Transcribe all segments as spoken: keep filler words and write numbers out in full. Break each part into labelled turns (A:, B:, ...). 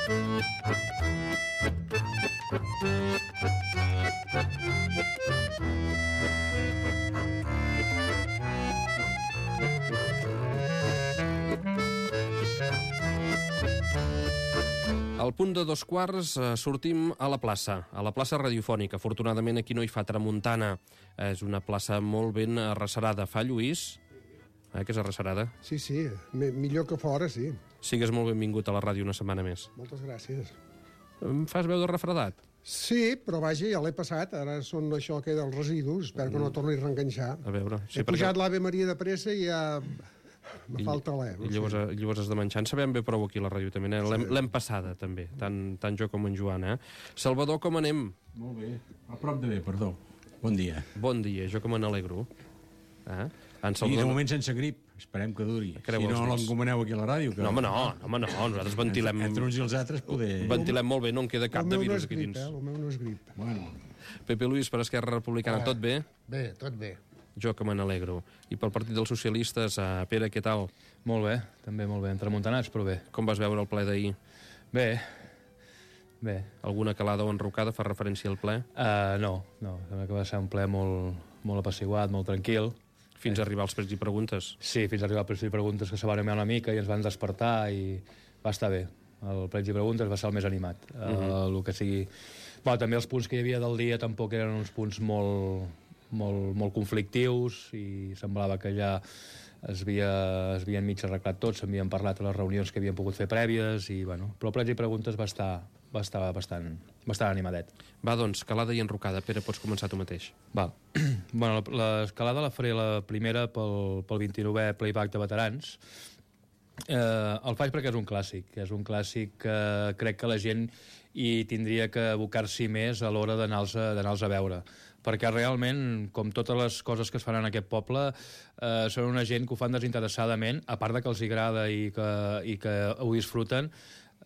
A: Al punt de dos quarts eh, sortim a la plaça, a la plaça radiofònica. Afortunadament aquí no hi fa tramuntana. És una plaça molt ben arrecerada. Fa Lluís? Eh, que és arrecerada?
B: Sí, sí, M millor que fora, sí.
A: Sigues molt benvingut a la ràdio una setmana més.
B: Moltes gràcies.
A: Em fas veu de refredat?
B: Sí, però vaja, ja l'he passat. Ara són això que dels residus. Espero que no torni a reenganxar.
A: A veure... Sí,
B: He pujat l'Ave Maria de pressa i ja... Me falta l'E.
A: I llavors, llavors has de menjar. En sabem bé prou aquí a la ràdio també. L'hem passada també, tant, tant jo com en Joan. Eh? Salvador, com anem?
C: Molt bé, a prop de bé, perdó. Bon dia.
A: Bon dia, jo que me n'alegro. Eh?
C: Salvador... I de moment sense grip, esperem que duri. Creu si no l'encomaneu aquí a la ràdio. Que...
A: No, home, no, no, home, no, nosaltres ventilem...
C: Entre uns i els altres poder...
A: Ventilem molt bé, no en queda cap de virus aquí dins.
B: El meu no és grip.
C: Bueno.
A: Pepe Luis, per Esquerra Republicana, tot bé?
D: Bé, tot bé.
A: Jo que me n'alegro. I pel Partit dels Socialistes, uh, Pere, què tal?
E: Molt bé, també molt bé, entremuntanats, però bé.
A: Com vas veure el ple d'ahir?
E: Bé, bé.
A: Alguna calada o enrocada fa referència al ple?
E: Uh, no, no, sembla que va ser un ple molt, molt apaciguat, molt tranquil.
A: Fins a arribar als prets i preguntes?
E: Sí, fins a arribar als prets i preguntes, que se van animar una mica i ens van despertar i va estar bé. El prets i preguntes va ser el més animat. Uh -huh. uh, el que sigui... Bueno, també els punts que hi havia del dia tampoc eren uns punts molt... Molt, molt conflictius i semblava que ja es, havia, es havien mig arreglat tot, s'havien parlat a les reunions que havien pogut fer prèvies i, bueno, però plets i preguntes va estar, va estar bastant, bastant animadet.
A: Va, doncs, calada i enrocada. Pere, pots començar tu mateix.
E: Va. Bueno, l'escalada la faré la primera pel, pel vint-i-novè Playback de Veterans. Eh, el faig perquè és un clàssic, és un clàssic que crec que la gent hi tindria que abocar-s'hi més a l'hora d'anar-los a, d'anar-los a veure, perquè realment, com totes les coses que es fan en aquest poble, eh, són una gent que ho fan desinteressadament, a part de que els agrada i que, i que ho disfruten.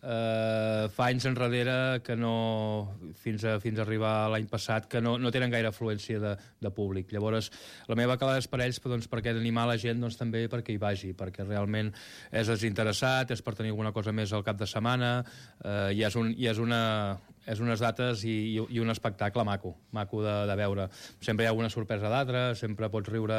E: Uh, fa anys enrere que no, fins a, fins a arribar l'any passat, que no, no tenen gaire afluència de, de públic. Llavors la meva calada és per ells, doncs, perquè animar la gent, doncs, també perquè hi vagi, perquè realment és desinteressat, és per tenir alguna cosa més al cap de setmana, uh, i és, un, i és, una, és unes dates i, i, i un espectacle maco maco de, de veure. Sempre hi ha alguna sorpresa d'altra, sempre pots riure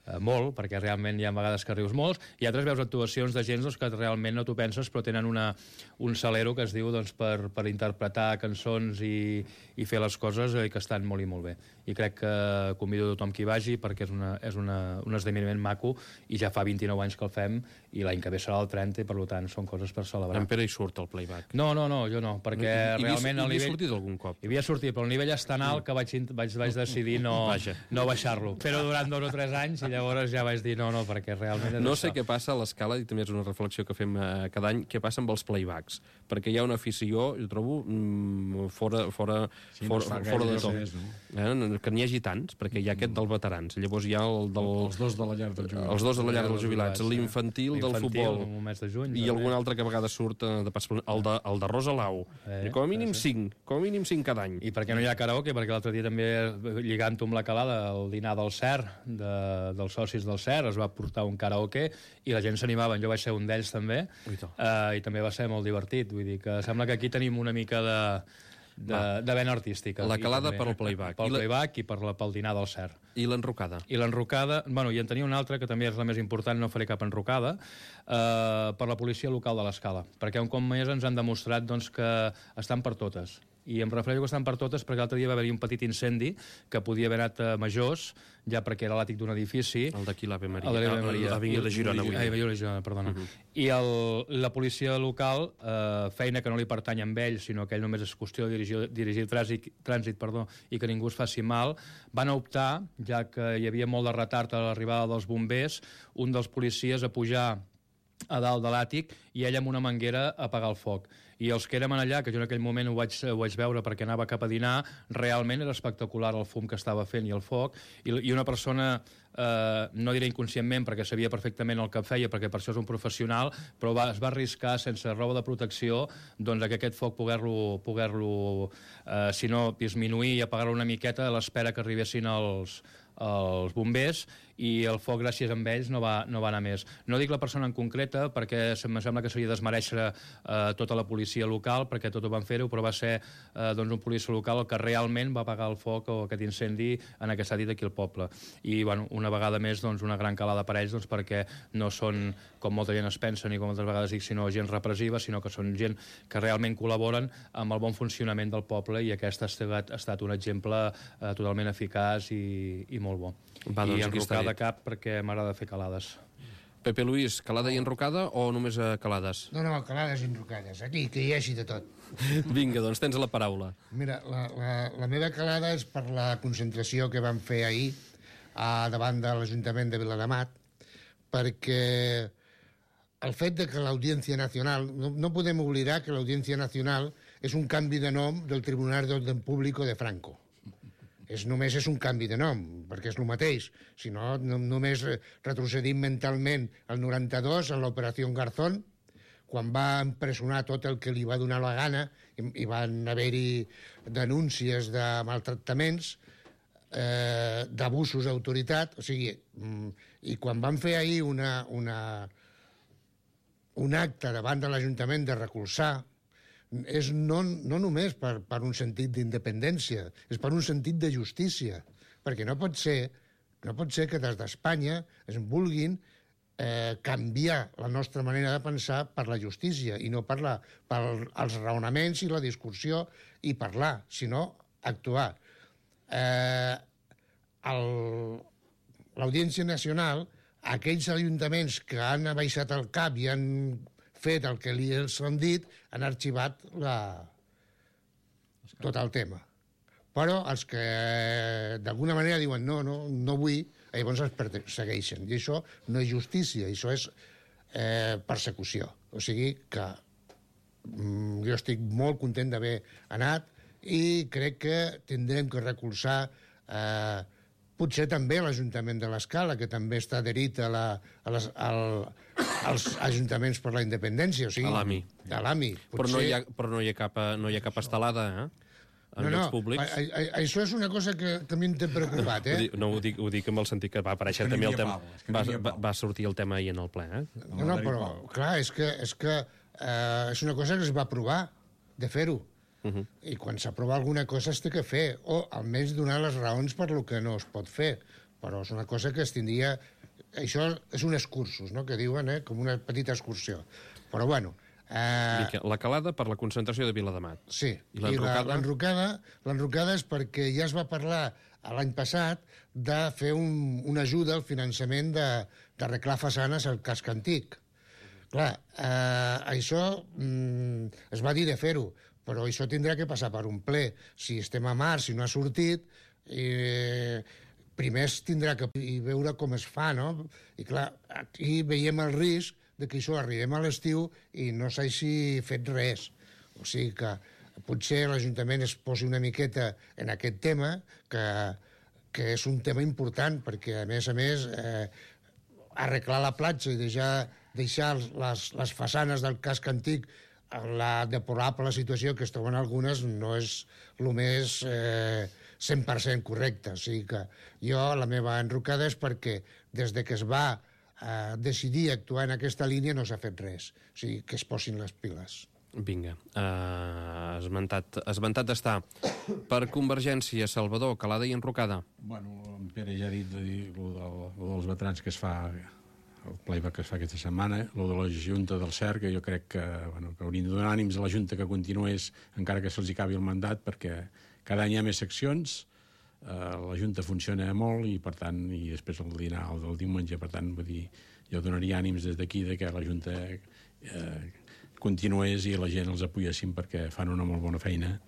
E: eh, molt, perquè realment hi ha vegades que rius molts, i altres veus actuacions de gent, doncs, que realment no t'ho penses, però tenen una, un salero que es diu, doncs, per, per interpretar cançons i, i fer les coses, eh, que estan molt i molt bé. I crec que convido a tothom que hi vagi, perquè és, una, és una, un esdeveniment maco, i ja fa vint-i-nou anys que el fem, i l'any que ve serà el trenta, i per tant són coses per celebrar.
A: En Pere hi surt el Playback?
E: No, no, no, jo no, perquè
A: I,
E: realment
A: i,
E: el nivell...
A: Hi havia sortit algun cop?
E: Hi havia sortit, però el nivell és tan alt que vaig, vaig, vaig decidir no, no baixar-lo. Però durant dos o tres anys, i llavors ja vaig dir no, no, perquè realment és
A: no
E: això.
A: sé què passa a l'escala, i també és una reflexió que fem eh, cada any, què passa amb els playbacks, perquè hi ha una afició, jo trobo, mm, fora, fora,
C: sí,
A: fora,
C: no
A: fora de tot.
C: Res, no?
A: Eh, que n'hi hagi tants, perquè hi ha aquest dels veterans, llavors hi ha el del...
C: Els dos de la llar dels jubilats.
A: Els dos de la llar dels jubilats, l'infantil del futbol,
E: el mes de juny,
A: i algun altre que a vegades surt eh, de pas, el de, el de Rosa Lau, eh, com a mínim cinc, com a mínim cinc cada any.
E: I perquè no hi ha karaoke, perquè l'altre dia també, lligant-ho amb la calada, el dinar del C E R, de, dels socis del C E R, es va portar un karaoke i la gent s'animaven, jo vaig ser un d'ells també, uh, i també va ser molt divertit, vull dir que sembla que aquí tenim una mica de, de, de vena artística.
A: La calada per al playback.
E: Pel playback i per, la, pel dinar del C E R.
A: I l'enrocada? I
E: l'enrocada, bueno, i en tenia una altra que també és la més important, no faré cap enrocada, uh, per la policia local de l'Escala, perquè un cop més ens han demostrat, doncs, que estan per totes. I em refereixo que estan per totes perquè l'altre dia va haver-hi un petit incendi que podia haver anat a Majors, ja perquè era l'àtic d'un edifici.
A: El d'aquí l'Ave Maria.
E: El de l'Ave Maria.
A: L'Avinguda de Girona.
E: Ai, de Girona, perdona. Uh -huh. I el, la policia local, eh, feina que no li pertany amb ell, sinó que ell només és qüestió de dirigir, dirigir trànsit, trànsit perdó, i que ningú es faci mal, van optar, ja que hi havia molt de retard a l'arribada dels bombers, un dels policies a pujar a dalt de l'àtic i ell amb una manguera a apagar el foc. I els que érem allà, que jo en aquell moment ho vaig, ho vaig veure perquè anava cap a dinar, realment era espectacular el fum que estava fent i el foc, i, i una persona, eh, no diré inconscientment perquè sabia perfectament el que feia, perquè per això és un professional, però va, es va arriscar sense roba de protecció, doncs que aquest foc poder-lo, poder-lo eh, si no, disminuir i apagar-lo una miqueta a l'espera que arribessin els els bombers, i el foc, gràcies a ells, no va, no va anar més. No dic la persona en concreta, perquè em sembla que seria desmereixer eh, tota la policia local, perquè tot ho van fer-ho, però va ser eh, doncs un policia local el que realment va apagar el foc o aquest incendi en aquest dit aquí al poble. I bueno, una vegada més doncs, una gran calada per ells, doncs, perquè no són, com molta gent es pensa, ni com moltes vegades dic, sinó gent repressiva, sinó que són gent que realment col·laboren amb el bon funcionament del poble, i aquest ha estat, ha estat un exemple eh, totalment eficaç i, i molt bo.
A: Va, doncs,
E: I enrocar de cap perquè m'agrada fer calades.
A: Pepe Luis, calada i enrocada o només a calades?
D: No, no, calades i enrocades. Aquí, que hi hagi de tot.
A: Vinga, doncs tens la paraula.
D: Mira, la, la, la meva calada és per la concentració que vam fer ahir a davant de l'Ajuntament de Viladamat, perquè el fet de que l'Audiència Nacional... No, no podem oblidar que l'Audiència Nacional és un canvi de nom del Tribunal de Orden Público de Franco. És, només és un canvi de nom, perquè és el mateix. Si no, no només retrocedim mentalment al noranta-dos, a l'operació Garzón, quan va empresonar tot el que li va donar la gana, i, i van haver-hi denúncies de maltractaments, eh, d'abusos d'autoritat, o sigui, i quan van fer ahir una, una, un acte davant de l'Ajuntament de recolzar, és no, no només per, per un sentit d'independència, és per un sentit de justícia, perquè no pot ser, no pot ser que des d'Espanya es vulguin eh, canviar la nostra manera de pensar per la justícia i no per, la, per els raonaments i la discussió i parlar, sinó actuar. Eh, L'Audiència Nacional, aquells ajuntaments que han abaixat el cap i han fet el que li els han dit, han arxivat la... tot el tema. Però els que d'alguna manera diuen no, no, no vull, llavors els persegueixen. I això no és justícia, això és eh, persecució. O sigui que mm, jo estic molt content d'haver anat i crec que tindrem que recolzar eh, potser també l'Ajuntament de l'Escala, que també està adherit a la, a les, al, als Ajuntaments per la Independència. O sigui,
A: a l'A M I.
D: A l'A M I.
A: Potser... Però, no hi ha, però no hi ha cap, no hi ha cap estelada, eh? En
D: no,
A: llocs
D: no,
A: públics.
D: A, a, això és una cosa que també em té preocupat, eh?
A: No, ho dic, ho dic amb el sentit que va aparèixer també el tema... Va, va, va sortir el tema ahir en el ple, eh?
D: No, no, però, clar, és que, és, que eh, és una cosa que es va provar de fer-ho. Uh -huh. I quan s'aprova alguna cosa es té que fer, o almenys donar les raons per lo que no es pot fer. Però és una cosa que es tindria... Això és un excursus, no?, que diuen, eh?, com una petita excursió. Però, bueno... Eh...
A: La calada per la concentració de Viladamat.
D: Sí,
A: i l'enrocada?
D: L'enrocada és perquè ja es va parlar l'any passat de fer un, una ajuda al finançament d'arreglar façanes al casc antic. Clar, eh, això mm, es va dir de fer-ho, però això tindrà que passar per un ple. Si estem a març, si no ha sortit... Eh, primer es tindrà que veure com es fa, no? I clar, aquí veiem el risc de que això arribem a l'estiu i no s'hagi fet res. O sigui que potser l'Ajuntament es posi una miqueta en aquest tema, que, que és un tema important, perquè, a més a més, eh, arreglar la platja i deixar, deixar les, les façanes del casc antic en la deplorable situació que es troben algunes no és el més... Eh, cent per cent correcte. O sigui que jo, la meva enrocada és perquè des de que es va eh, decidir actuar en aquesta línia no s'ha fet res. O sigui, que es posin les piles.
A: Vinga. Uh, esmentat, esmentat està. Per Convergència, Salvador, calada i enrocada.
C: Bueno, en Pere ja ha dit de dir lo, del, lo dels veterans que es fa, el playback que es fa aquesta setmana, lo de la Junta del C E R, que jo crec que, bueno, que haurien de donar ànims a la Junta que continués encara que se'ls acabi el mandat, perquè cada any hi ha més seccions, eh, la Junta funciona molt i, per tant, i després el dinar el del diumenge, per tant, vull dir, jo donaria ànims des d'aquí de que la Junta eh, continués i la gent els apoyessin perquè fan una molt bona feina.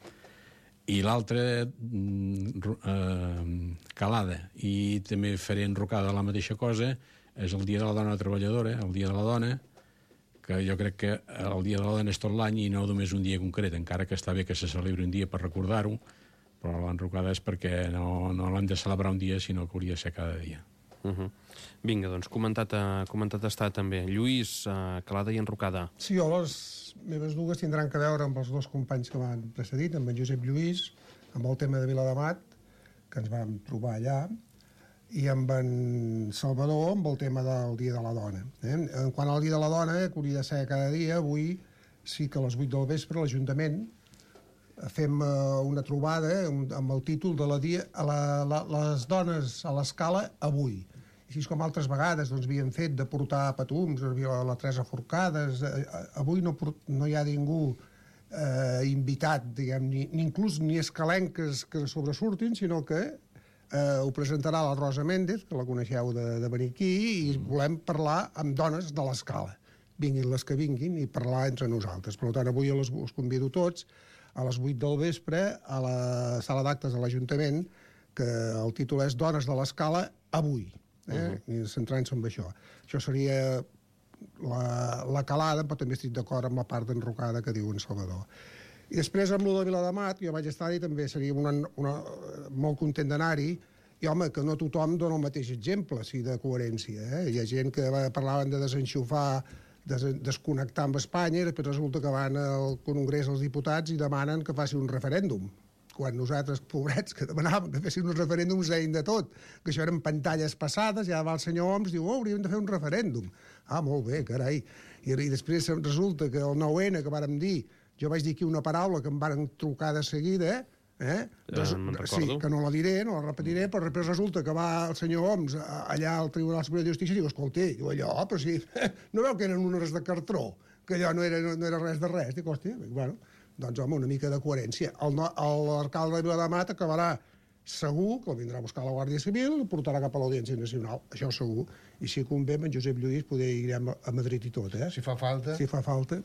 C: I l'altra, eh, calada, i també faré enrocada la mateixa cosa, és el Dia de la Dona Treballadora, el Dia de la Dona, que jo crec que el Dia de la Dona és tot l'any i no només un dia concret, encara que està bé que se celebri un dia per recordar-ho, però l'enrocada és perquè no, no l'hem de celebrar un dia, sinó que hauria de ser cada dia.
A: Uh -huh. Vinga, doncs, comentat, uh, comentat està també. Lluís, uh, calada i enrocada.
B: Sí, jo les meves dues tindran que veure amb els dos companys que m'han precedit, amb en Josep Lluís, amb el tema de Viladamat, que ens vam trobar allà, i amb en Salvador amb el tema del Dia de la Dona. Eh? En quant al Dia de la Dona, que hauria de ser cada dia, avui sí que a les vuit del vespre a l'Ajuntament fem una trobada amb el títol de la dia, a la, la, les dones a l'escala avui. Així com altres vegades doncs, havíem fet de portar petums, la, la Teresa Forcades, avui no, no hi ha ningú eh, invitat, diguem, ni, ni inclús ni escalenques que sobresurtin, sinó que eh, ho presentarà la Rosa Méndez, que la coneixeu de, de venir aquí, i volem parlar amb dones de l'escala. Vinguin les que vinguin i parlar entre nosaltres. Per tant, avui les, us convido tots a les vuit del vespre a la sala d'actes de l'Ajuntament, que el títol és Dones de l'escala avui. Eh? Uh-huh. I centrant-se en això. Això seria la, la calada, però també estic d'acord amb la part d'enrocada que diu en Salvador. I després, amb lo de Viladamat, jo vaig estar-hi, també seria una, una, molt content d'anar-hi, i, home, que no tothom dona el mateix exemple, sí, de coherència. Eh? Hi ha gent que parlaven de desenxufar, des, desconnectar amb Espanya, i després resulta que van al Congrés dels Diputats i demanen que faci un referèndum. Quan nosaltres, pobrets, que demanàvem que fessin uns referèndums, deien de tot, que això eren pantalles passades, ja va el senyor Homs, diu, oh, hauríem de fer un referèndum. Ah, molt bé, carai. I, i després resulta que el nou ene, que vàrem dir, jo vaig dir aquí una paraula que em van trucar de seguida, eh? Res,
A: ja
B: sí, que no la diré, no la repetiré, però després resulta que va el senyor Homs allà al Tribunal Superior de Justícia i diu, escolta, diu allò, però sí, no veu que eren unes de cartró, que allò no era, no era res de res, dic, hòstia, bueno, doncs home, una mica de coherència. L'alcalde de Viladamat acabarà segur que el vindrà a buscar la Guàrdia Civil i portarà cap a l'Audiència Nacional, això segur. I si convé, amb en Josep Lluís, poder irem a Madrid i tot, eh?
D: Si fa falta.
B: Si fa falta.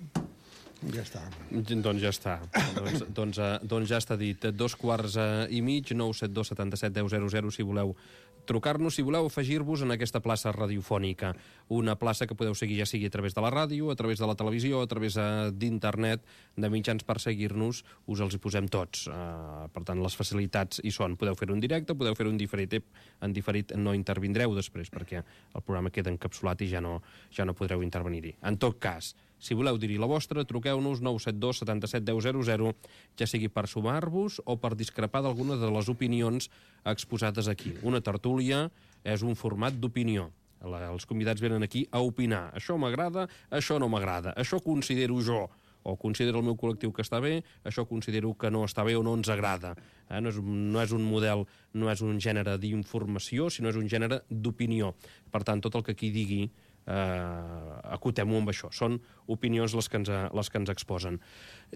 B: Ja està.
A: Doncs ja està. doncs, doncs, doncs ja està dit. Dos quarts i mig, nou set dos setanta set deu zero zero, si voleu trucar-nos, si voleu afegir-vos en aquesta plaça radiofònica. Una plaça que podeu seguir ja sigui a través de la ràdio, a través de la televisió, a través d'internet, de mitjans per seguir-nos, us els hi posem tots. Uh, per tant, les facilitats hi són. Podeu fer-ho en directe, podeu fer-ho en diferit. En diferit no intervindreu després, perquè el programa queda encapsulat i ja no, ja no podreu intervenir-hi. En tot cas, si voleu dir-hi la vostra, truqueu-nos nou set dos setanta set deu zero zero, ja sigui per sumar-vos o per discrepar d'alguna de les opinions exposades aquí. Una tertúlia és un format d'opinió. Els convidats venen aquí a opinar. Això m'agrada, això no m'agrada. Això considero jo, o considero el meu col·lectiu que està bé, això considero que no està bé o no ens agrada. Eh? No és, no és un model, no és un gènere d'informació, sinó és un gènere d'opinió. Per tant, tot el que aquí digui, eh, acotem-ho amb això. Són opinions les que ens, les que ens exposen.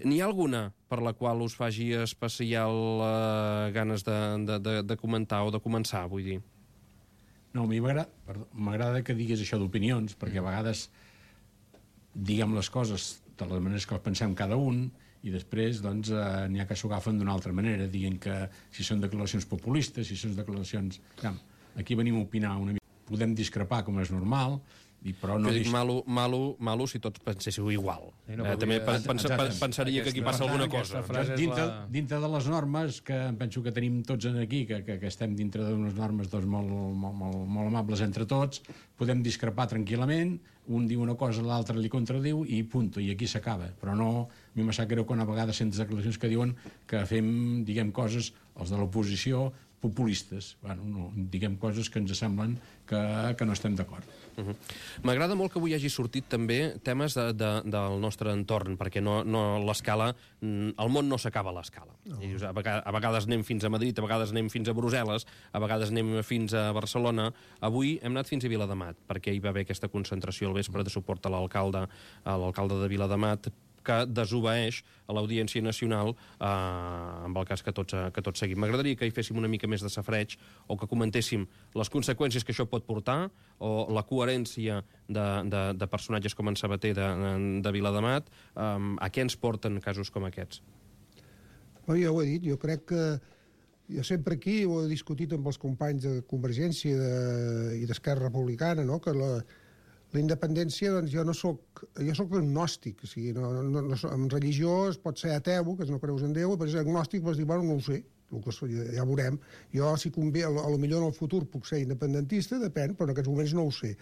A: N'hi ha alguna per la qual us faci especial eh, ganes de, de, de, de comentar o de començar, vull dir?
C: No, a mi m'agrada que diguis això d'opinions, perquè a vegades diguem les coses de les maneres que pensem cada un i després doncs, eh, n'hi ha que s'ho agafen d'una altra manera, dient que si són declaracions populistes, si són declaracions... Ja, aquí venim a opinar una mica. Podem discrepar, com és normal, i però no...
A: Jo dic malo, malo, malo si tots penséssiu igual. Sí, no, eh, també pens, pens, pens, pensaria que aquí passa alguna cosa.
C: Dintre, la... dintre de les normes, que penso que tenim tots aquí, que, que, que estem dintre d'unes normes doncs, molt, molt, molt, molt amables entre tots, podem discrepar tranquil·lament, un diu una cosa, l'altre li contradiu, i punt, i aquí s'acaba. Però no, a mi m'ha sap greu quan a vegades sents declaracions que diuen que fem, diguem, coses, els de l'oposició, populistes. Bueno, no, diguem coses que ens semblen que, que no estem d'acord.
A: Uh-huh. M'agrada molt que avui hagi sortit també temes de, de, del nostre entorn, perquè no, no l'escala, el món no s'acaba a l'escala. No. A, vegades, a vegades anem fins a Madrid, a vegades anem fins a Brussel·les, a vegades anem fins a Barcelona. Avui hem anat fins a Viladamat, perquè hi va haver aquesta concentració al vespre de suport a l'alcalde, a l'alcalde de Viladamat, que desobeeix a l'Audiència Nacional eh, amb el cas que tots, que tots seguim. M'agradaria que hi féssim una mica més de safreig o que comentéssim les conseqüències que això pot portar o la coherència de, de, de personatges com en Sabater de, de Viladamat, eh, a què ens porten casos com aquests?
B: Oh, ja ho he dit, jo crec que jo sempre aquí ho he discutit amb els companys de Convergència de, i d'Esquerra Republicana, no? Que la La independència, doncs jo no soc... Jo soc agnòstic, o sigui, no, no, no, en religió es pot ser ateu, que no creus en Déu, però és agnòstic, vas dir, bueno, no ho sé, el que ja, ja veurem. Jo, si convé, a lo millor en el futur puc ser independentista, depèn, però en aquests moments no ho sé.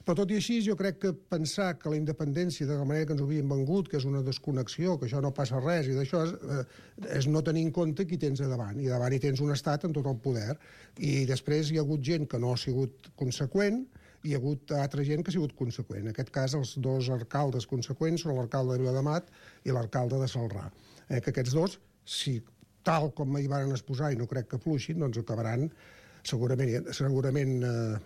B: Però tot i així, jo crec que pensar que la independència, de la manera que ens ho havien vengut, que és una desconnexió, que això no passa res, i d'això és, eh, és no tenir en compte qui tens a davant. I davant hi tens un estat amb tot el poder. I després hi ha hagut gent que no ha sigut conseqüent, i hi ha hagut altra gent que ha sigut conseqüent. En aquest cas, els dos alcaldes conseqüents són l'alcalde de Vilademat i l'alcalde de Celrà. Eh, que aquests dos, si tal com hi van exposar, i no crec que fluixin, doncs acabaran segurament, segurament eh,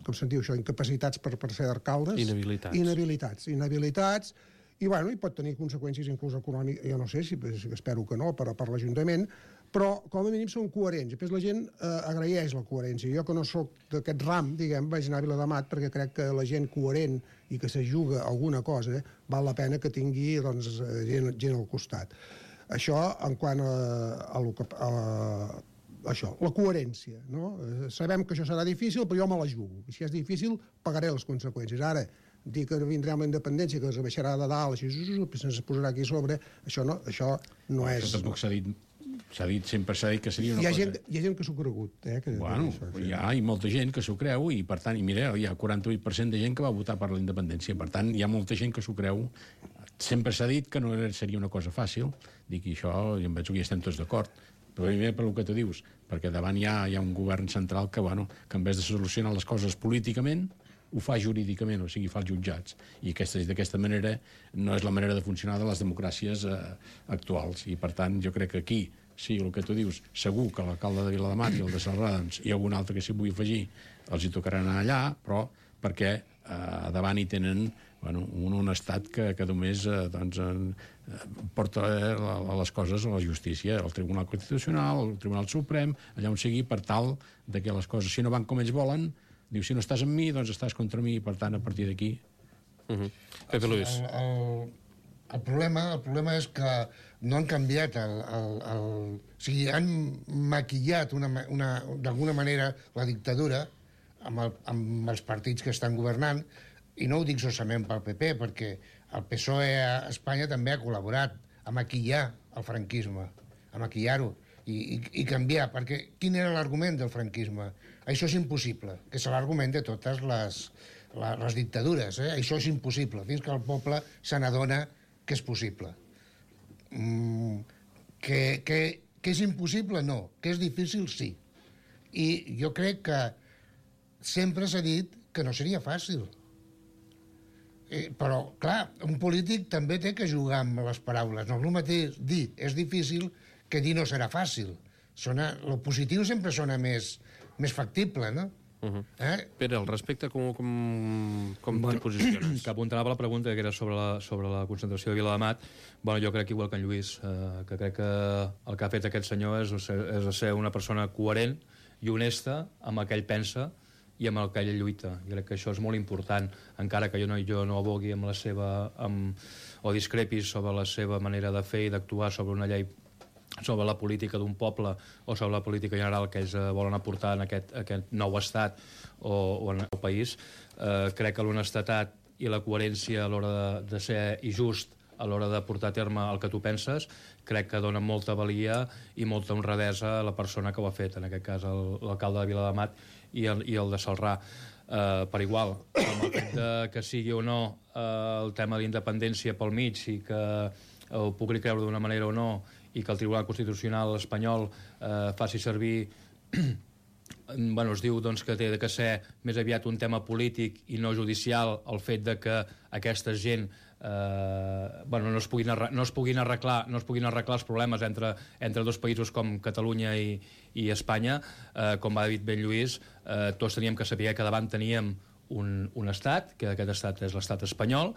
B: com se'n diu això, incapacitats per, per ser alcaldes.
A: Inhabilitats.
B: Inhabilitats. Inhabilitats, i, bueno, i pot tenir conseqüències inclús econòmiques, jo no sé, si, espero que no, per, per l'Ajuntament, però com a mínim són coherents. Després la gent eh, agraeix la coherència. Jo, que no sóc d'aquest ram, diguem, vaig anar a Vilademat perquè crec que la gent coherent i que se juga alguna cosa, eh, val la pena que tingui doncs, gent, gent al costat. Això en quant a, a, a, a això, la coherència, no? Sabem que això serà difícil, però jo me la jugo. I si és difícil, pagaré les conseqüències. Ara, dir que vindrà amb la independència, que es baixarà de dalt, així, se'ns posarà aquí sobre, això no, això no és...
C: Això tampoc s'ha dit, s'ha dit, sempre s'ha dit que seria una
B: hi ha
C: cosa...
B: Gent, hi ha gent que s'ho ha cregut, eh? Que,
C: bueno,
B: això, sí.
C: hi ha i molta gent que s'ho creu, i per tant, i mira, hi ha quaranta-vuit per cent de gent que va votar per la independència, per tant, hi ha molta gent que s'ho creu. Sempre s'ha dit que no seria una cosa fàcil, dic, i això, i em veig que hi estem tots d'acord, però primer per el que tu dius, perquè davant hi ha, hi ha un govern central que, bueno, que en vez de solucionar les coses políticament, ho fa jurídicament, o sigui, fa els jutjats. I aquesta, d'aquesta manera no és la manera de funcionar de les democràcies eh, actuals. I, per tant, jo crec que aquí, sí, el que tu dius, segur que l'alcalde de Vilademat i el de Celrà, doncs, hi ha algun altre que s'hi vull afegir, els hi tocarà anar allà, però perquè eh, davant hi tenen bueno, un, un estat que, que només eh, doncs, eh, porta eh, les coses a la justícia, el Tribunal Constitucional, el Tribunal Suprem, allà on sigui, per tal de que les coses, si no van com ells volen, diu, si no estàs amb mi, doncs estàs contra mi, i per tant, a partir d'aquí...
A: Uh-huh. Pepe Luis.
D: El, el, el, problema, el problema és que no han canviat el... el, el o sigui, han maquillat una, una, d'alguna manera la dictadura amb, el, amb els partits que estan governant, i no ho dic solament pel P P, perquè el P S O E a Espanya també ha col·laborat a maquillar el franquisme, a maquillar-ho i, i, i canviar, perquè quin era l'argument del franquisme? Això és impossible, que és l'argument de totes les, les, les dictadures, eh? Això és impossible, fins que el poble se n'adona que és possible. Mm, que, que, que és impossible, no, que és difícil, sí. I jo crec que sempre s'ha dit que no seria fàcil. Eh, però, clar, un polític també té que jugar amb les paraules. No és el mateix dir és difícil que dir no serà fàcil. Sona, lo positiu sempre sona més, més factible, no?
A: Uh-huh.
D: Eh?
A: Pere, al respecte, com, com, com
E: bueno,
A: te posiciones?
E: Que apuntava la pregunta, que era sobre la, sobre la concentració de Vilademat. Bueno, jo crec igual que en Lluís, eh, que crec que el que ha fet aquest senyor és, és ser una persona coherent i honesta amb el que ell pensa i amb el que ell lluita. Jo crec que això és molt important, encara que jo no, jo no abogui amb la seva, amb, o discrepis sobre la seva manera de fer i d'actuar sobre una llei, sobre la política d'un poble o sobre la política general que ells volen aportar en aquest, aquest nou estat o, o en el país. Eh, crec que l'honestedat i la coherència a l'hora de, de ser i just a l'hora de portar a terme el que tu penses, crec que dona molta valia i molta honradesa a la persona que ho ha fet, en aquest cas l'alcalde de Vilademat i el, i el de Celrà. Eh, per igual, amb el fet de que sigui o no eh, el tema de l'independència pel mig i que ho pugui creure d'una manera o no i que el Tribunal Constitucional espanyol eh, faci servir bueno, es diu doncs, que té de que ser més aviat un tema polític i no judicial el fet de que aquesta gent eh, bueno, no, es puguin arreglar, no, es puguin arreglar, no es puguin arreglar els problemes entre, entre dos països com Catalunya i, i Espanya, eh, com va dir ben Lluís, eh, tots teníem que saber que davant teníem un, un estat, que aquest estat és l'estat espanyol,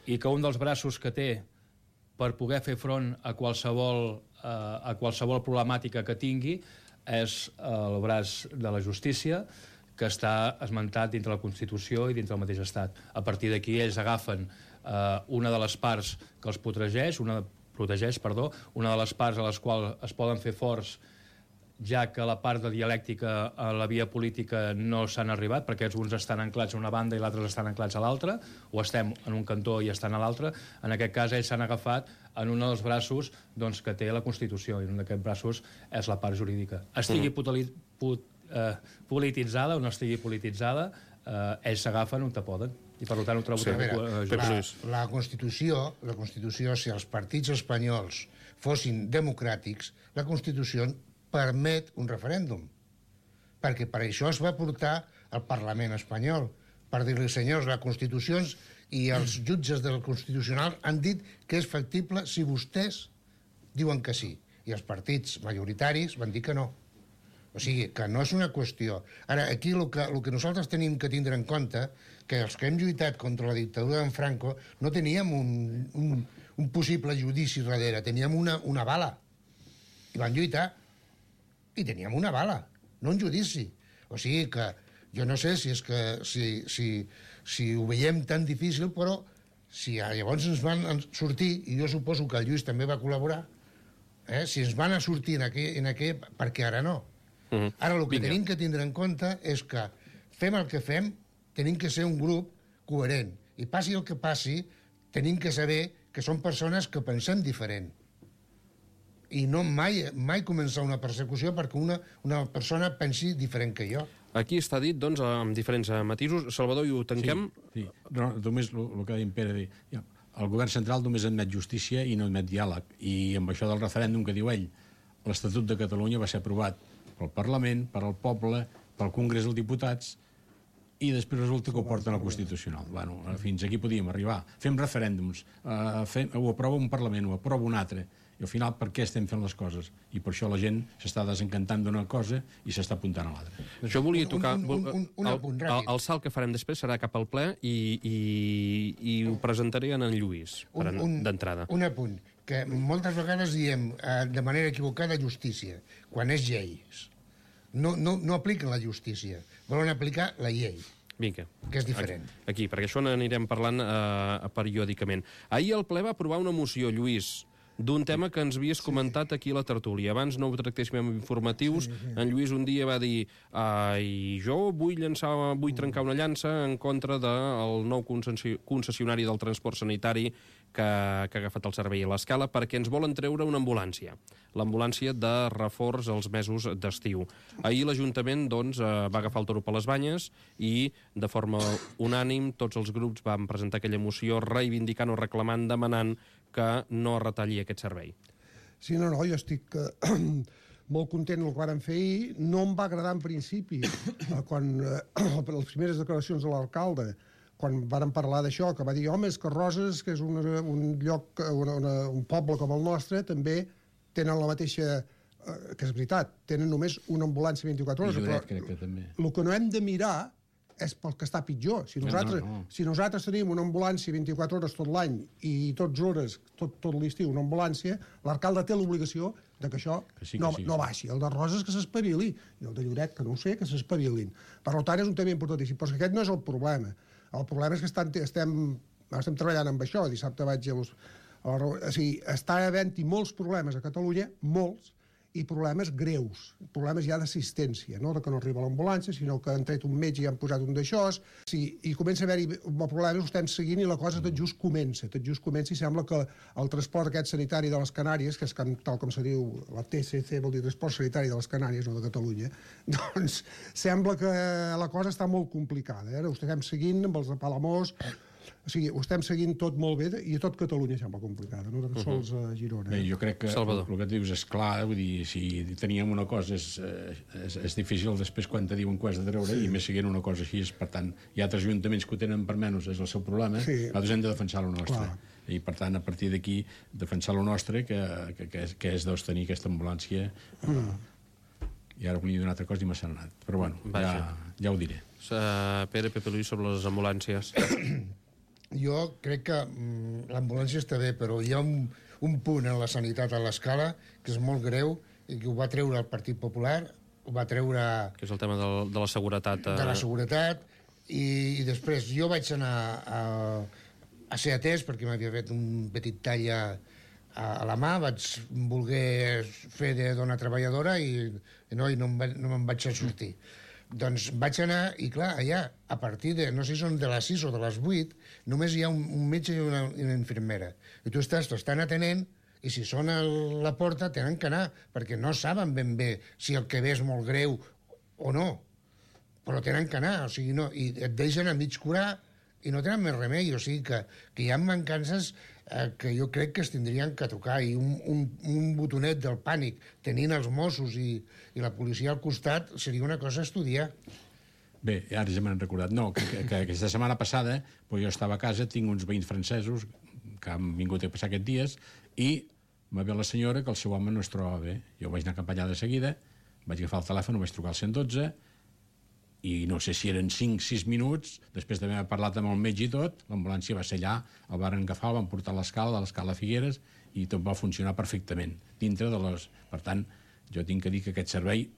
E: i que un dels braços que té per poder fer front a qualsevol, eh, a qualsevol problemàtica que tingui és el braç de la justícia, que està esmentat dintre la Constitució i dintre el mateix estat. A partir d'aquí ells agafen eh, una de les parts que els protegeix, una, protegeix, perdó, una de les parts a les quals es poden fer forts, ja que la part de dialèctica a la via política no s'han arribat, perquè uns estan anclats a una banda i l'altre estan anclats a l'altra, o estem en un cantó i estan a l'altre. En aquest cas, ells s'han agafat en un dels braços doncs, que té la Constitució, i un d'aquests braços és la part jurídica. Estigui mm. put, eh, polititzada o no estigui polititzada, eh, ells s'agafen on te poden. I per tant ho trobo
A: Sí,
E: sí,
A: a veure,
E: just.
D: La, la Constitució, la Constitució, si els partits espanyols fossin democràtics, la Constitució permet un referèndum. Perquè per això es va portar al Parlament espanyol, per dir-li, senyors, la Constitució i els jutges del Constitucional han dit que és factible si vostès diuen que sí. I els partits majoritaris van dir que no. O sigui, que no és una qüestió. Ara, aquí el que, el que nosaltres tenim que tindre en compte que els que hem lluitat contra la dictadura d'en Franco no teníem un, un, un possible judici darrere, teníem una, una bala. I van lluitar i teníem una bala, no un judici. O sigui que jo no sé si és que si, si, si ho veiem tan difícil, però si llavors ens van sortir, i jo suposo que el Lluís també va col·laborar, eh, si ens van a sortir en aquell, en aquell perquè ara no. Uh-huh. Ara el que Vinga. tenim que tindre en compte és que fem el que fem, tenim que ser un grup coherent. I passi el que passi, tenim que saber que són persones que pensem diferent. I no mai, mai començar una persecució perquè una, una persona pensi diferent que jo.
A: Aquí està dit, doncs, amb diferents matisos. Salvador, i ho tanquem?
C: Sí, sí. No, només el, el que ha dit Pere, dir, ja, el govern central només admet justícia i no admet diàleg. I amb això del referèndum que diu ell, l'Estatut de Catalunya va ser aprovat pel Parlament, per al poble, pel Congrés dels Diputats, i després resulta que ho porten al Constitucional. Bueno, fins aquí podíem arribar. Fem referèndums, uh, fem, ho aprova un Parlament, ho aprova un altre, i al final per què estem fent les coses? I per això la gent s'està desencantant d'una cosa i s'està apuntant a l'altra.
A: Jo volia tocar...
D: Un, un, un, un apunt
A: el, el, el salt que farem després serà cap al ple i, i, i ho presentaré en en Lluís, d'entrada.
D: Un, un apunt, que moltes vegades diem eh, de manera equivocada justícia, quan és lleis. No, no, no apliquen la justícia, volen aplicar la llei.
A: Vinga.
D: Que és diferent.
A: Aquí, aquí perquè això n'anirem parlant eh, periòdicament. Ahir el ple va aprovar una moció, Lluís, d'un tema que ens havies comentat aquí a la tertúlia. Abans no ho tractéssim amb informatius. Sí, sí. En Lluís un dia va dir i jo vull llançar, vull trencar una llança en contra del nou concessionari del transport sanitari que, que ha agafat el servei a l'Escala perquè ens volen treure una ambulància. L'ambulància de reforç als mesos d'estiu. Ahir l'Ajuntament doncs, va agafar el toro per les banyes i de forma unànim tots els grups van presentar aquella moció reivindicant o reclamant, demanant que no es retalli aquest servei.
B: Sí, no, no, jo estic eh, molt content del que varen fer ahir. No em va agradar en principi, eh, quan eh, les primeres declaracions de l'alcalde, quan varen parlar d'això, que va dir, home, és que Roses, que és un, un lloc, una, una, un poble com el nostre, també tenen la mateixa... Eh, que és veritat, tenen només una ambulància vint-i-quatre hores.
C: I Lloret, crec que també.
B: El que no hem de mirar és pel que està pitjor. Si nosaltres, no, no, no. Si nosaltres tenim una ambulància vint-i-quatre hores tot l'any i tots hores, tot, tot l'estiu, una ambulància, l'alcalde té l'obligació de que això que sí, que no, sí. no baixi. El de Roses que s'espavili, i el de Lloret, que no ho sé, que s'espavilin. Per tant, és un tema importantíssim, però aquest no és el problema. El problema és que estan, estem, estem treballant amb això. Dissabte vaig a... a o sigui, està havent-hi molts problemes a Catalunya, molts, i problemes greus, problemes ja d'assistència, no de que no arriba l'ambulància, sinó que han tret un metge i han posat un d'això, sí, i comença a haver-hi problemes, ho estem seguint i la cosa tot just comença, tot just comença i sembla que el transport aquest sanitari de les Canàries, que és tal com se diu, la T C C vol dir Transport Sanitari de les Canàries, no de Catalunya, doncs sembla que la cosa està molt complicada, eh? Ho estem seguint amb els de Palamós, o sigui, ho estem seguint tot molt bé i a tot Catalunya sembla complicada, no tan sols a Girona.
C: Bé, jo crec que
A: Salvador.
C: El que dius és clar, vull dir, si teníem una cosa és, és, és difícil després quan te diuen que ho has de treure, sí. I més seguint una cosa així, per tant, hi ha altres ajuntaments que ho tenen per menys, és el seu problema, sí. Nosaltres hem de defensar el nostre. Clar. I per tant, a partir d'aquí, defensar el nostre, que, que, que, és, que és doncs, tenir aquesta ambulància. Mm. I ara volia dir una altra cosa i m'ha anat. Però bueno, ja, ja ho diré.
A: Uh, Pere, Pepe Luis, sobre les ambulàncies.
D: Jo crec que mm, l'ambulància està bé, però hi ha un, un punt en la sanitat a l'Escala que és molt greu i que ho va treure el Partit Popular, ho va treure...
A: Que és el tema de, de la seguretat. Eh...
D: De la seguretat, i, i després jo vaig anar a, a ser atès perquè m'havia fet un petit tall a, a, a la mà, vaig voler fer de dona treballadora i, i no, i no, em va, no me'n vaig sortir. Doncs vaig anar, i clar, allà, a partir de, no sé si són de les sis o de les vuit, només hi ha un, un metge i una, una infermera. I tu estàs, t'estan atenent, i si sona la porta tenen que anar, perquè no saben ben bé si el que ve és molt greu o no. però tenen que anar, o sigui, no, i et deixen a mig curar i no tenen més remei, o sigui que, que hi ha mancances eh, que jo crec que es tindrien que tocar, i un, un, un botonet del pànic tenint els Mossos i, i la policia al costat seria una cosa a estudiar.
C: Bé, ara ja m'han recordat. No, que, que, que aquesta setmana passada pues jo estava a casa, tinc uns veïns francesos que han vingut a passar aquests dies i va veure la senyora que el seu home no es trobava bé. Jo vaig anar cap allà de seguida, vaig agafar el telèfon, vaig trucar al cent dotze i no sé si eren cinc sis minuts, després d'haver parlat amb el metge i tot, l'ambulància va ser allà, el van agafar, el van portar a l'escala, de l'escala Figueres, i tot va funcionar perfectament, dintre de les... Per tant, jo tinc que dir que aquest servei,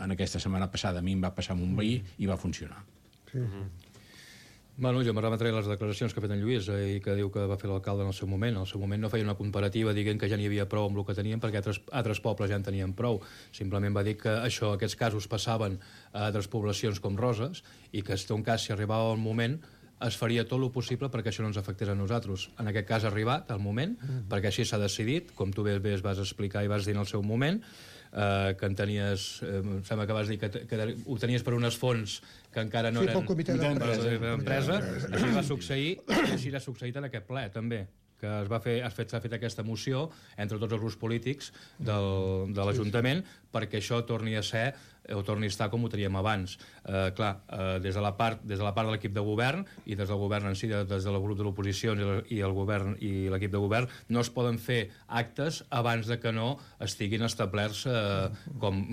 C: en aquesta setmana passada, a mi em va passar amb un veí i va funcionar.
B: Sí.
E: Mm-hmm. Bueno, jo me remetré les declaracions que ha fet en Lluís eh, i que diu que va fer l'alcalde en el seu moment. En el seu moment no feia una comparativa dient que ja n'hi havia prou amb el que tenien perquè altres, altres pobles ja en tenien prou. Simplement va dir que això, aquests casos passaven a altres poblacions com Roses i que, en cas, si arribava el moment, es faria tot el possible perquè això no ens afectés a nosaltres. En aquest cas ha arribat el moment, mm. perquè així s'ha decidit, com tu bé, bé es vas explicar i vas dir en el seu moment, eh, que en tenies, eh, em sembla que vas dir que, que ho tenies per unes fonts que encara no
B: sí,
E: eren...
B: pel comitè
E: d'empresa. Així va succeir, i així ha succeït en aquest ple, també, que es va fer, s'ha fet, fet aquesta moció entre tots els grups polítics del, de l'Ajuntament perquè això torni a ser o torni a estar com ho teníem abans. Eh, clar, eh, des de la part des de la part de l'equip de govern i des del govern en si, des del grup de l'oposició i el govern i l'equip de govern, no es poden fer actes abans de que no estiguin establerts eh, com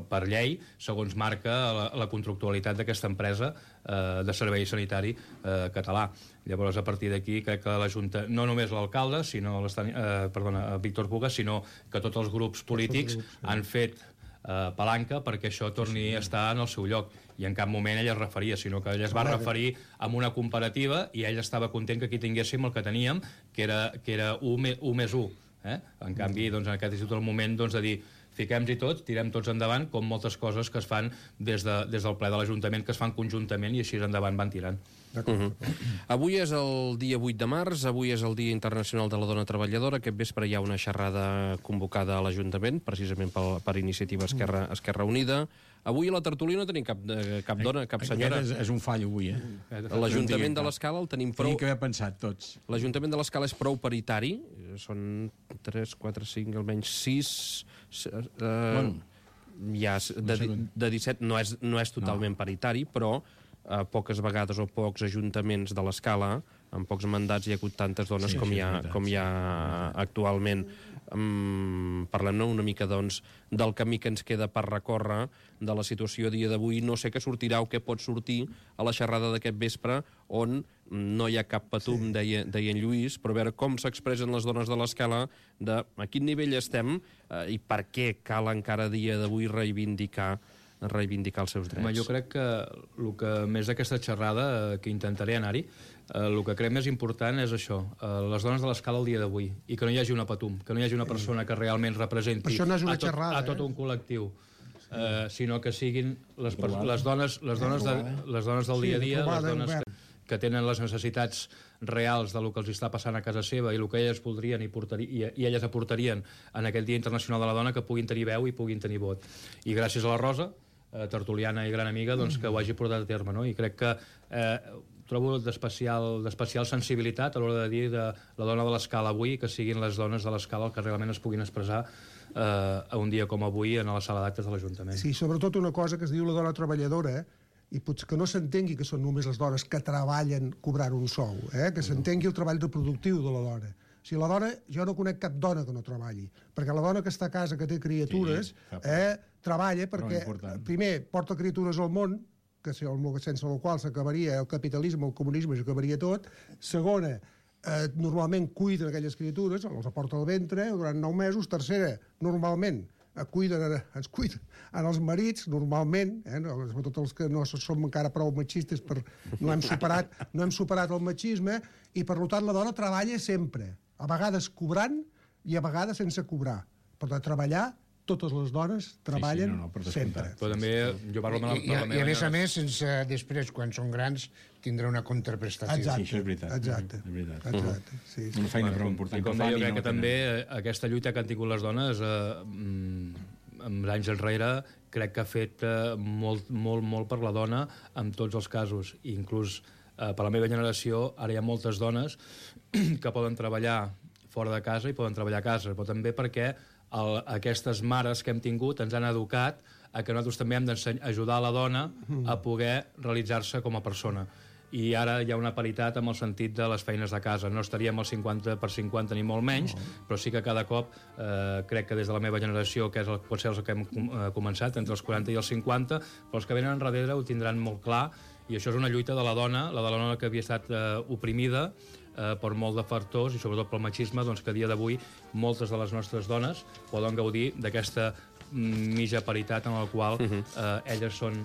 E: per llei, segons marca la, la contractualitat d'aquesta empresa eh, de servei sanitari eh, català. Llavors, a partir d'aquí, crec que la Junta, no només l'alcalde, sinó eh, perdona, Víctor Puga, sinó que tots els grups polítics grups, sí. han fet eh, palanca perquè això torni a estar en el seu lloc. I en cap moment ell es referia, sinó que ell es va referir amb una comparativa i ell estava content que aquí tinguéssim el que teníem, que era, que era u més u. Eh? En canvi, doncs, en aquest institut, el moment doncs, de dir fiquem-hi tots, tirem tots endavant, com moltes coses que es fan des, de, des del ple de l'Ajuntament, que es fan conjuntament i així endavant van tirant.
A: Uh -huh. Avui és el dia vuit de març, avui és el Dia Internacional de la Dona Treballadora. Aquest vespre hi ha una xerrada convocada a l'Ajuntament, precisament per, per iniciativa Esquerra, Esquerra Unida. Avui a la tertúlia no tenim cap, cap dona, cap senyora.
C: Aquest és, és un fall avui, eh?
A: L'Ajuntament de l'Escala el tenim prou...
C: Tenim que haver pensat tots.
A: L'Ajuntament de l'Escala és prou paritari. Són tres, quatre, cinc, almenys sis... Eh, bueno, ja de, de disset no és, no és totalment no. paritari, però a poques vegades o pocs ajuntaments de l'Escala, en pocs mandats hi ha hagut tantes dones sí, com, sí, hi ha, veritat, com hi ha actualment. Um, parlem-ne una mica, doncs, del camí que ens queda per recórrer de la situació a dia d'avui. No sé què sortirà o què pot sortir a la xerrada d'aquest vespre, on no hi ha cap patum, sí. deia, deia en Lluís, però a veure com s'expressen les dones de l'Escala, de a quin nivell estem eh, i per què cal encara a dia d'avui reivindicar reivindicar els seus drets.
E: Home, jo crec que el que més d'aquesta xerrada, que intentaré anar-hi, eh, el que crec més important és això, eh, les dones de l'Escala el dia d'avui, i que no hi hagi una patum, que no hi hagi una persona que realment representi
B: no
E: a, tot,
B: xerrada,
E: a tot un col·lectiu, eh, sinó que siguin les, les, dones, les, dones de, les dones del dia a dia, les dones que, que tenen les necessitats reals del que els està passant a casa seva i el que elles voldrien i, portaria, i, i elles aportarien en aquest Dia Internacional de la Dona, que puguin tenir veu i puguin tenir vot. I gràcies a la Rosa, eh, tertuliana i gran amiga, doncs, que ho hagi portat a terme, no? I crec que eh, trobo d'especial sensibilitat a l'hora de dir de la dona de l'Escala avui, que siguin les dones de l'Escala que realment es puguin expressar eh, a un dia com avui en la sala d'actes de l'Ajuntament.
B: Sí, sobretot una cosa que es diu la dona treballadora, i potser que no s'entengui que són només les dones que treballen cobrant un sou, eh? Que s'entengui el treball reproductiu de la dona. O sigui, la dona, jo no conec cap dona que no treballi, perquè la dona que està a casa, que té criatures, sí, eh, treballa perquè, primer, porta criatures al món, que sense el qual s'acabaria el capitalisme, el comunisme, s'acabaria tot. Segona, eh, normalment cuiden aquelles criatures, els aporta al ventre durant nou mesos. Tercera, normalment cuiden, ens cuiden en els marits, normalment, eh, sobretot els que no som encara prou machistes, per, no, hem superat, no hem superat el machisme, i per tant la dona treballa sempre, a vegades cobrant i a vegades sense cobrar. Per treballar, totes les dones treballen sí, sí, no, no, sempre.
E: Però també jo parlo amb la,
D: I, i, i a més a més, sense, després, quan són grans, tindrà una contraprestació.
B: Exacte,
C: sí, això és veritat.
B: Exacte.
C: És veritat.
B: Exacte. Sí, sí.
C: Una feina prou important.
E: I com deia, jo crec que també aquesta lluita que han tingut les dones eh, amb anys enrere, crec que ha fet eh, molt, molt, molt per la dona en tots els casos. I inclús eh, per la meva generació, ara hi ha moltes dones que poden treballar fora de casa i poden treballar a casa, però també perquè el, aquestes mares que hem tingut ens han educat a que nosaltres també hem d'ajudar a la dona a poder realitzar-se com a persona. I ara hi ha una paritat amb el sentit de les feines de casa. No estaríem al cinquanta per cinquanta ni molt menys, però sí que cada cop eh, crec que des de la meva generació, que és el, pot ser els que hem eh, començat, entre els quaranta i els cinquanta, però els que venen enrere ho tindran molt clar, i això és una lluita de la dona, la de la dona que havia estat eh, oprimida eh, per molt de factors, i sobretot pel machisme, doncs que a dia d'avui moltes de les nostres dones poden gaudir d'aquesta mitja paritat en la qual eh, elles són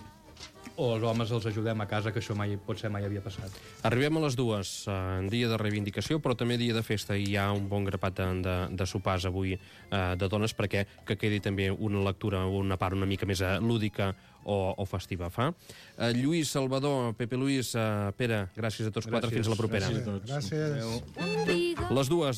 E: o els homes els ajudem a casa, que això mai, potser mai havia passat.
A: Arribem a les dues, en dia de reivindicació, però també dia de festa, i hi ha un bon grapat de, de, de sopars avui eh, de dones, perquè que quedi també una lectura, una part una mica més lúdica o, o festiva. Fa? Eh, Lluís, Salvador, Pepe Luis, eh, Pere, gràcies a tots gràcies, quatre, fins a la propera.
C: Gràcies a tots.
B: Gràcies.
A: Les dues